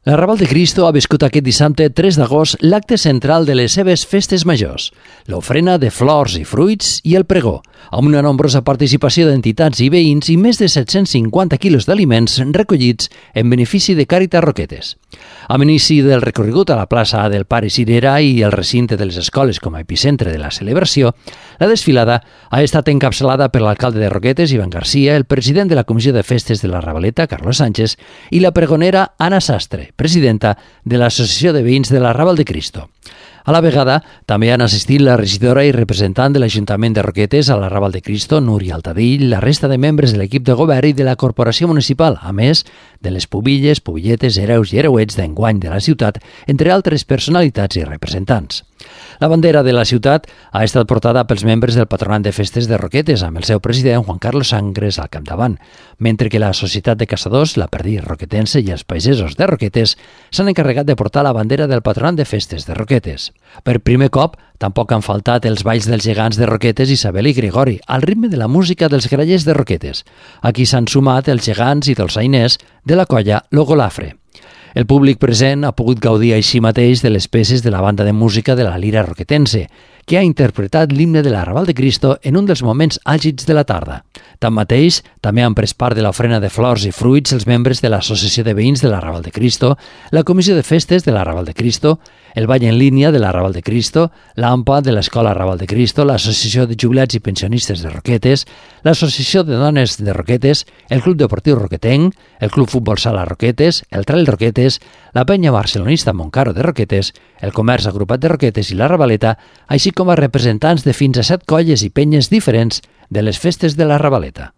L'Arrabal de Cristo ha viscut aquest dissabte 3 d'agost l'acte central de les seves festes majors, l'ofrena de flors i fruits i el pregó, amb una nombrosa participació d'entitats i veïns i més de 750 quilos d'aliments recollits en benefici de Càritas Roquetes. Amb inici del recorregut a la plaça del Pare Cirera i el recinte de les escoles com a epicentre de la celebració, la desfilada ha estat encapçalada per l'alcalde de Roquetes, Ivan Garcia, el president de la Comissió de Festes de la Ravaleta, Carlos Sánchez, i la pregonera Anna Sastre, presidenta de l'Associació de Veïns de l'Arrabal de Cristo. A la vegada, també han assistit la regidora i representant de l'Ajuntament de Roquetes a l'Arrabal de Cristo, Núria Altadill, la resta de membres de l'equip de govern i de la corporació municipal, a més de les pubilles, pubilletes, hereus i hereuets d'enguany de la ciutat, entre altres personalitats i representants. La bandera de la ciutat ha estat portada pels membres del Patronat de Festes de Roquetes, amb el seu president, Juan Carlos Sangres, al capdavant, mentre que la Societat de Caçadors, la Perdiz Roquetense i els pagesos de Roquetes s'han encarregat de portar la bandera del Patronat de Festes de Roquetes. Per primer cop, tampoc han faltat els balls dels gegants de Roquetes, Isabel i Gregori, al ritme de la música dels grallers de Roquetes. Aquí s'han sumat els gegants i dolçainers de la colla Logolafre. El públic present ha pogut gaudir així mateix de les peces de la banda de música de la Lira Roquetense, que ha interpretat l'himne de l'Arrabal de Cristo en un dels moments àgits de la tarda. Tanmateix, també han pres part de l'ofrena de flors i fruits els membres de l'Associació de Veïns de l'Arrabal de Cristo, la Comissió de Festes de l'Arrabal de Cristo, el Ball en línia de l'Arrabal de Cristo, l'AMPA de l'Escola Arrabal de Cristo, l'Associació de Jubilats i Pensionistes de Roquetes, l'Associació de Dones de Roquetes, el Club Deportiu Roquetenc, el Club Futbol Sala Roquetes, el Trail Roquetes, la Penya Barcelonista Montcaro de Roquetes, el Comerç Agrupat de Roquetes i la Ravaleta, així com a representants de fins a 7 colles i penyes diferents de les festes de la Ravaleta.